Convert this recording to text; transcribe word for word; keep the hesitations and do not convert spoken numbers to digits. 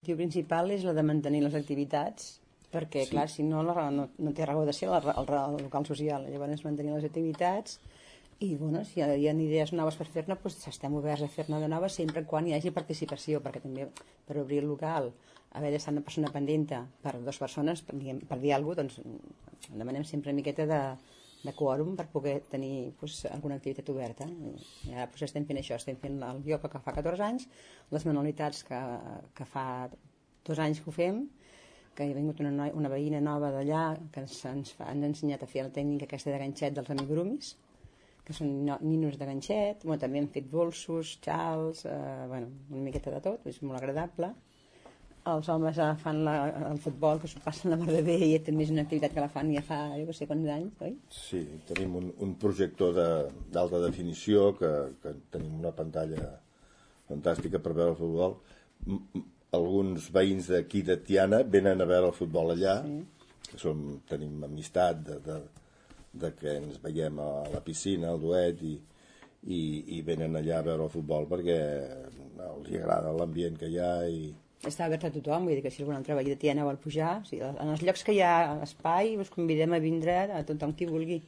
L'objectiu principal és la de mantenir les activitats, perquè, sí. clar, si no, la, no, no té raó de ser el, el, el local social. Llavors, mantenir les activitats i, bueno, si hi ha, hi ha idees noves per fer-ne, doncs estem oberts a fer-ne de noves sempre quan hi hagi participació, perquè també per obrir el local, haver d'estar una persona pendenta per dues persones, per, diguem, per dir alguna cosa, doncs demanem sempre una miqueta de, de quòrum per poder tenir doncs, alguna activitat oberta. I ara doncs, estem fent això, estem fent el ioga que fa catorze anys, les manualitats que, que fa dos anys que ho fem, que hi ha vingut una, noi, una veïna nova d'allà que ens, ens, fa, ens ha ensenyat a fer la tècnica aquesta de ganxet dels amigurumis, que són ninos de ganxet. Bueno, també hem fet bolsos, xals, eh, bueno, una miqueta de tot, és molt agradable. Els homes ja fan la, el futbol, que s'ho passen la mar de bé, i també és una activitat que la fan ja fa, jo no sé quants anys, oi? Sí, tenim un, un projector d'alta de, definició, que, que tenim una pantalla fantàstica per veure el futbol. Alguns veïns d'aquí de Tiana venen a veure el futbol allà, sí. que som, tenim amistat de, de, de que ens veiem a la piscina, al duet, i, i, i venen allà a veure el futbol perquè els agrada l'ambient que hi ha. I... Està obert a tothom, vull dir que si algun altre veí de Tiana vol pujar, o sigui, en els llocs que hi ha espai us convidem a vindre a tothom qui vulgui.